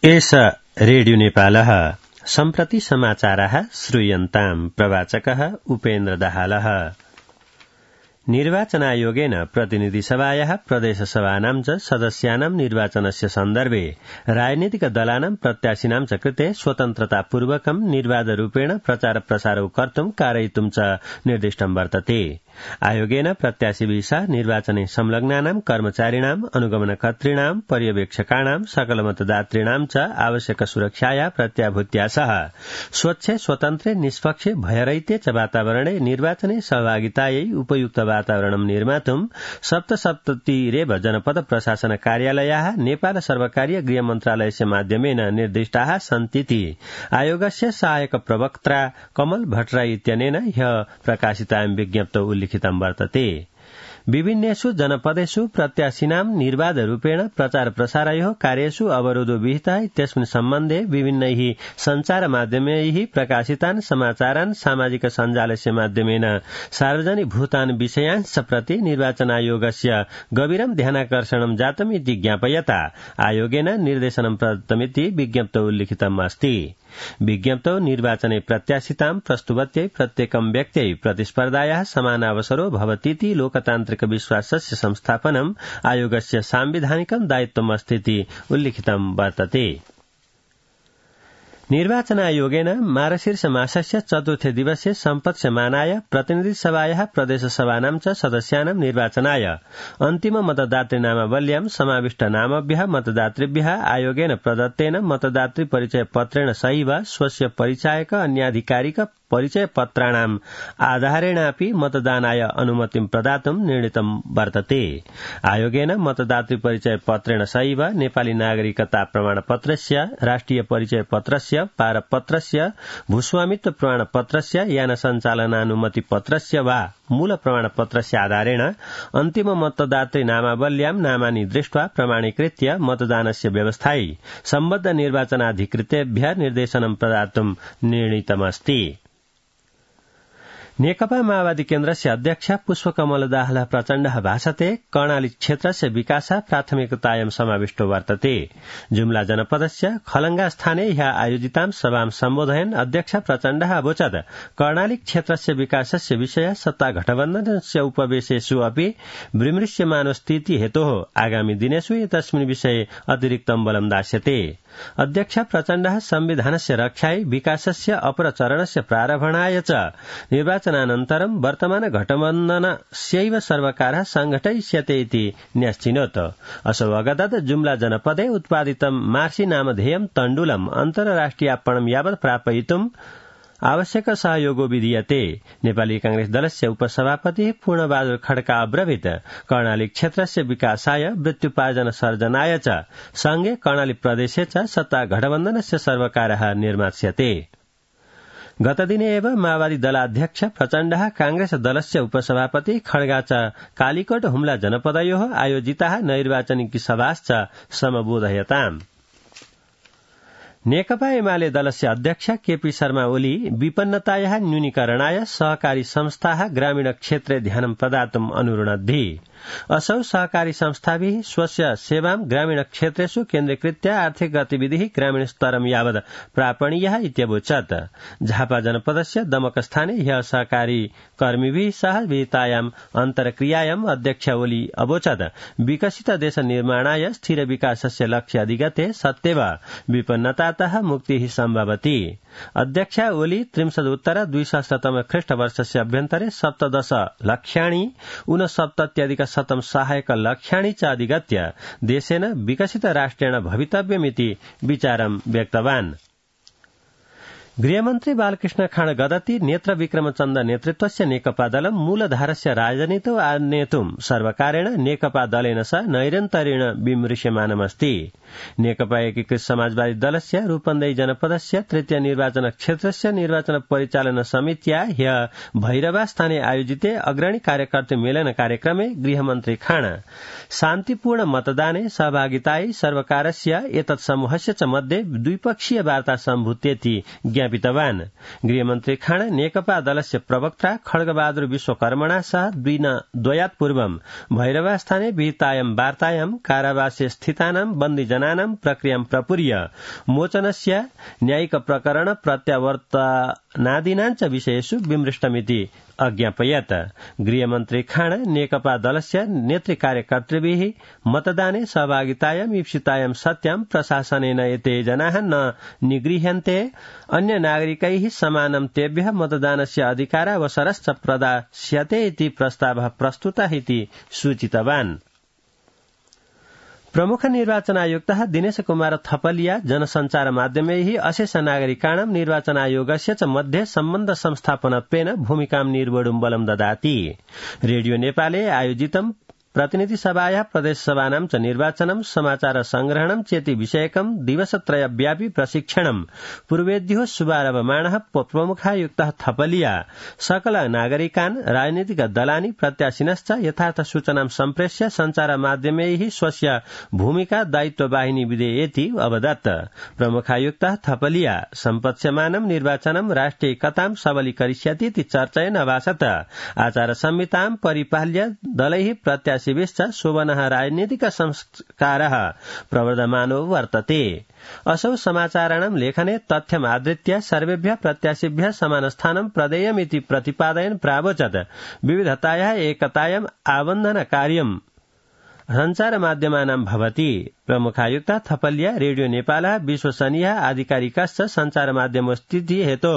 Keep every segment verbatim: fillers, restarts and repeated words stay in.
एष रेडियो नेपालः सम्प्रति समाचारः श्रूयन्ताम् प्रवाचकः उपेन्द्र दाहालः। निर्वाचनायोगेन प्रतिनिधिसभायाः प्रदेशसभानां च सदस्यानां निर्वाचनस्य सन्दर्भे राजनीतिक दलानां प्रत्याशिनां च कृते स्वतन्त्रतापूर्वकं निर्वाधरूपेण प्रचार प्रसारौ कर्तुं कारयितुं च निर्दिष्टं वर्तते। आयोगेन प्रत्याशिभिः निर्वाचने संलग्नानां कर्मचारिणां अनुगमनकर्तॄणां पर्यवेक्षकाणां सकलमतदातॄणां च आवश्यक सुरक्षाया प्रत्याभूत्या सह स्वच्छे स्वतन्त्रे निष्पक्षे भयरहिते च वातावरणे निर्वाचने सहभागितायै उपयुक्त वातावरणं निर्मातुं सप्तसप्ततिरेव जनपद प्रशासन कार्यालयाः नेपाल सर्वकारीय गृह मन्त्रालयस्य माध्यमेन निर्दिष्टाः सन्तीति आयोगस्य सहायक प्रवक्ता कमल भट्टराई इत्यनेन ह्यः प्रकाशितायां विज्ञप्तौ उल्लिखितं वर्तते। विभिन्नेषु जनपदेषु प्रत्याशिनां निर्वाधरूपेण प्रचार प्रसारयोः कार्येषु अवरोधो विहितः इत्यस्मिन् सम्बन्धे विभिन्नैः सञ्चार माध्यमैः प्रकाशितान् समाचारान् सामाजिक सञ्जालस्य माध्यमेन सार्वजनिकभूतान् विषयांश्च प्रति निर्वाचनायोगस्य गभीरं ध्यानाकर्षणं जातम् इति ज्ञापयता आयोगेन निर्देशनं प्रदत्तमिति विज्ञप्तौ उल्लिखितम् अस्ति। विज्ञप्तौ निर्वाचने प्रत्याशितां प्रस्तुवत्यै प्रत्येकं व्यक्त्यै प्रतिस्पर्धायाः समानावसरो भवतीति लोकतान्त्रिक विश्वासस्य संस्थापनम् आयोगस्य सांविधानिकं दायित्वम् अस्तीति उल्लिखितं वर्तते। निर्वाचनायोगेन मार्गशीर्ष मासस्य चतुर्थे दिवसे सम्पत्स्यमानाय प्रतिनिधिसभायाः प्रदेशसभानां च सदस्यानां निर्वाचनाय अन्तिम मतदातृनामावल्यां समाविष्ट नामभ्यः मतदातृभ्यः आयोगेन प्रदत्तेन मतदातृ परिचय पत्रेण सहैव स्वस्य परिचायक अन्याधिकारिक परिचय पत्राणाम् आधारेणापि मतदानाय अनुमतिं प्रदातुं निर्णीतं वर्तते। आयोगेन मतदातृ परिचय पत्रेण सहैव नेपाली नागरिकता प्रमाणपत्रस्य राष्ट्रिय परिचय पत्रस्य पारपत्रस्य भूस्वामित्व प्रमाणपत्रस्य यान सञ्चालनानुमति पत्रस्य वा मूल प्रमाणपत्रस्य आधारेण अन्तिम मतदातृ नामावल्यां नामानि दृष्ट्वा प्रमाणीकृत्य मतदानस्य व्यवस्थायै सम्बद्ध निर्वाचनाधिकृतेभ्यः निर्देशनं प्रदातुं निर्णीतमस्ति। नेकपा माओवादी केन्द्रस्य अध्यक्ष पुष्पकमल दाहाल प्रचण्डः भाषते कर्णाली क्षेत्रस्य विकासः प्राथमिकतायां समाविष्टो वर्तते। जुम्ला जनपदस्य खलंगा स्थाने ह्यः आयोजितां सभां सम्बोधयन् अध्यक्ष प्रचण्डः अवोचत् कर्णाली क्षेत्रस्य विकासस्य विषय सत्ता गठबन्धनस्य उपवेशेषु अपि विमृश्यमानो स्थिति हेतोः आगामी दिनेषु एतस्मिन् विषये अतिरिक्तं बलं दास्यते। अध्यक्ष प्रचण्डः संविधानस्य रक्षायै विकासस्य अपरचरणस्य प्रारम्भणाय च निर्वाचनानन्तरं वर्तमान गठबन्धनस्यैव सर्वकारः संघटयिष्यते इति न्यश्चिनोत्। असौ अगतत् जुम्ला जनपदे उत्पादितं मार्सी नामधेयं तण्डुलम् अन्तर्राष्ट्रियार्पणं यावत् प्रापयितुम् आवश्यक सहयोगो विधीयते। नेपाली कांग्रेस दलस्य उपसभापति पूर्णबहादुर खड्का अब्रवीत् कर्णाली क्षेत्रस्य विकासाय वृत्त्युपार्जन सर्जनाय च संघे कर्णाली प्रदेशे च सत्ता गठबन्धनस्य सर्वकारः निर्मास्यते। गतदिने एव माओवादी दलाध्यक्ष प्रचण्डः कांग्रेस दलस्य उपसभापति खड्गा च कालीकोट हुम्ला जनपदयोः आयोजिताः नैर्वाचनिक सभाश्च समबोधयताम्। नेकपा एमाले दलस्य अध्यक्ष केपी शर्मा ओली विपन्नतायाः न्यूनीकरणाय सहकारी संस्थाः ग्रामीण क्षेत्रे ध्यानं प्रदातुम् अनुरुणद्धि। असौ सहकारी संस्थाभिः स्वस्य सेवां ग्रामीण क्षेत्रेषु केन्द्रीकृत्य आर्थिक गतिविधिः ग्रामीण स्तरं यावत् प्रापणीयः इत्यवोचत्। झापा जनपदस्य दमकस्थाने ह्यः सहकारी कर्मिभिः सह विहितायाम् अन्तर्क्रियायाम् अध्यक्ष ओली अवोचत् विकसित देश निर्माणाय स्थिर विकासस्य लक्ष्य अधिगते सत्येव विपन्नतातः मुक्तिः सम्भवति। अध्यक्ष ओली त्रिंशदुत्तर द्विसहस्रतम ख्रीष्टवर्षस्य अभ्यन्तरे सप्तदश लक्ष्याणि ऊनसप्तत्यधिक शतं सहायक लक्ष्याणि च अधिगत्य देशेन विकसित राष्ट्रेण भवितव्यमिति विचारं व्यक्तवान्। गृहमन्त्री बालकृष्ण खाँड गदति नेत्र विक्रमचन्द नेतृत्वस्य नेकपा दलं मूलधारस्य राजनीतौ आनेतुं सर्वकारेण नेकपा दलेन सह नैरन्तर्येण विमृश्यमानमस्ति। नेकपा एकीकृत समाजवादी दलस्य रूपन्देही जनपदस्य तृतीय निर्वाचन क्षेत्रस्य निर्वाचन परिचालन समित्या ह्यः भैरवा स्थाने आयोजिते अग्रणी कार्यकर्तृ मेलन कार्यक्रमे गृहमन्त्री खाँड शान्तिपूर्ण मतदाने सहभागितायै सर्वकारस्य एतत् समूहस्य च मध्ये द्विपक्षीय वार्ता सम्भूतेति ज्ञापितवान्। गृहमन्त्री खाँड नेकपा दलस्य प्रवक्ता खड्गबहादुर विश्वकर्मणा सह द्वयात् पूर्वं भैरवस्थाने विहितायां वार्तायां कारावासे स्थितानां बन्दीजनानां प्रक्रियां प्रपूर्य मोचनस्य न्यायिक प्रकरण प्रत्यावर्तनादीनाञ्च विषयेषु विमृष्टमिति अज्ञापयत्। गृहमन्त्री खाँड नेकपा दलस्य नेतृ कार्यकर्तृभिः मतदाने सहभागितायां ईप्सितायां सत्यां प्रशासनेन एते जनाः न निगृह्यन्ते अन्य नागरिकैः समानं तेभ्यः मतदानस्य अधिकारावसरश्च प्रदास्यते इति प्रस्तावः प्रस्तुतः इति सूचितवान्। प्रमुख निर्वाचन आयुक्तः दिनेश कुमार थपलिया जनसञ्चार माध्यमैः अशेष नागरिकाणां निर्वाचनायोगस्य च मध्ये सम्बन्ध संस्थापनत्वेन भूमिकां निर्वोढुं बलं ददाति। रेडियो नेपाले आयोजितं प्रतिनिधि सभाया प्रदेश सभानां च निर्वाचनं समाचार संग्रहणं चेति विषयकं दिवसत्रयव्यापी प्रशिक्षणं पूर्वेद्यो शुभारभमाणः प्रमुखायुक्तः थपलिया सकल नागरिकान् राजनीतिक दलानि प्रत्याशिनश्च यथार्थ सूचनां सम्प्रेष्य सञ्चार माध्यमैः स्वस्य भूमिका दायित्ववाहिनी विधेयेति अवदत्। प्रमुखायुक्तः थपलिया सम्पत्स्यमानं निर्वाचनं राष्ट्रियैकतां सबलीकरिष्यति इति चर्चयन् अभाषत। आचार संहितां परिपाल्य दलैः प्रत्याशि शिविश्च शोभनः राजनीतिक संस्कारः प्रवर्धमानो वर्तते। असौ समाचाराणां लेखने तथ्यमाधृत्य सर्वेभ्यः प्रत्याशिभ्यः समानस्थानं प्रदेयमिति प्रतिपादयन् प्रावोचत्। विविधतायाः एकतायाम् आबन्धन कार्यं सञ्चार माध्यमानां भवति। प्रमुखायुक्त थपलिया रेडियो नेपालः विश्वसनीयः आधिकारिकश्च सञ्चार माध्यमस्थितिः हेतो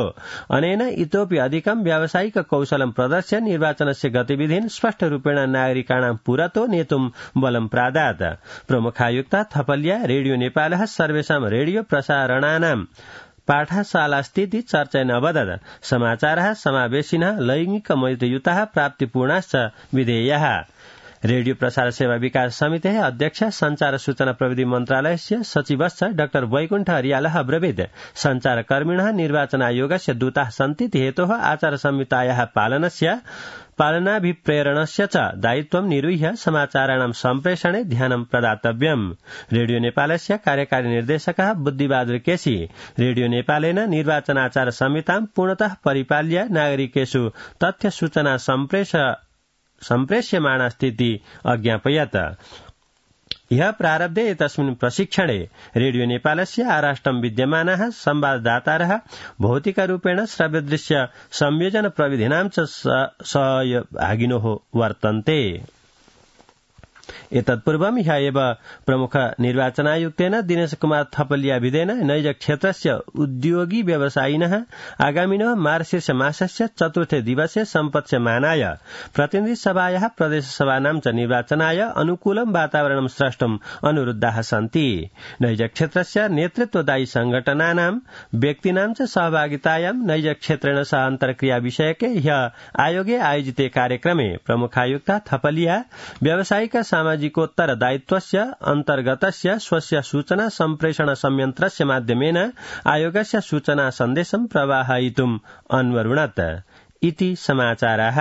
अनेन इतोपि अधिकं व्यावसायिक कौशलं प्रदर्श्य निर्वाचनस्य गतिविधीन् स्पष्टरूपेण नागरिकाणां पुरतो नेतुं बलं प्रादात्। प्रमुखायुक्त थपलिया रेडियो नेपालः सर्वेषां रेडियो प्रसारणानां पाठशालास्थिति चर्चयन् अवदत्। समाचारः समावेशिनः लैंगिक मैत्रीयुतः प्राप्तिपूर्णाश्च विधेयाः। रेडियो प्रसार सेवा विकास समितेः अध्यक्ष संचार सूचना प्रविधि मन्त्रालयस्य सचिवश्च डाक्टर वैकुण्ठ हरियालः अब्रवीत्। संचारकर्मिणः निर्वाचन आयोगस्य दूताः सन्ति हेतोः आचार संहितायाः पालनस्य पालनाभिप्रेरणस्य च दायित्वं निरूह्य समाचाराणां सम्प्रेषणे ध्यानं प्रदातव्यम्। रेडियो नेपालस्य कार्यकारी निर्देशकः बुद्धिबहादुर केसी रेडियो नेपालेन निर्वाचनाचार संहितां पूर्णतः परिपाल्य नागरिकेषु तथ्य सूचना सम्प्रेष सम्प्रेष्यमाणा स्थिति अज्ञापयत्। ह्यः प्रारब्धे एतस्मिन् प्रशिक्षणे रेडियो नेपालस्य आराष्ट्रं विद्यमानाः संवाददातारः भौतिकरूपेण श्रव्यदृश्य संयोजन प्रविधीनां च सहभागिनोः वर्तन्ते। एतत्पूर्वं ह्यः एव प्रमुख निर्वाचनायुक्तेन दिनेश कुमार थपलिया विधेन नैज क्षेत्रस्य उद्योगी व्यवसायिनः आगामिनः मार्गशीर्ष मासस्य चतुर्थे दिवसे सम्पत्स्यमानाय प्रतिनिधि सभायाः प्रदेश सभानां च निर्वाचनाय अनुकूलं वातावरणं स्रष्टुम् अनुरुद्धाः सन्ति। नैज क्षेत्रस्य नेतृत्वदायी संघटनानां व्यक्तीनां च सहभागितायां नैज क्षेत्रेण सह अन्तर्क्रिया विषयके ह्यः आयोगे आयोजिते कार्यक्रमे प्रमुखायुक्त थपलिया व्यावसायिक सामाजिकोत्तर दायित्वस्य अन्तर्गतस्य स्वस्य सूचना सम्प्रेषण संयन्त्रस्य माध्यमेन आयोगस्य सूचना सन्देशं प्रवाहयितुम् अन्वरुणत् इति समाचाराः।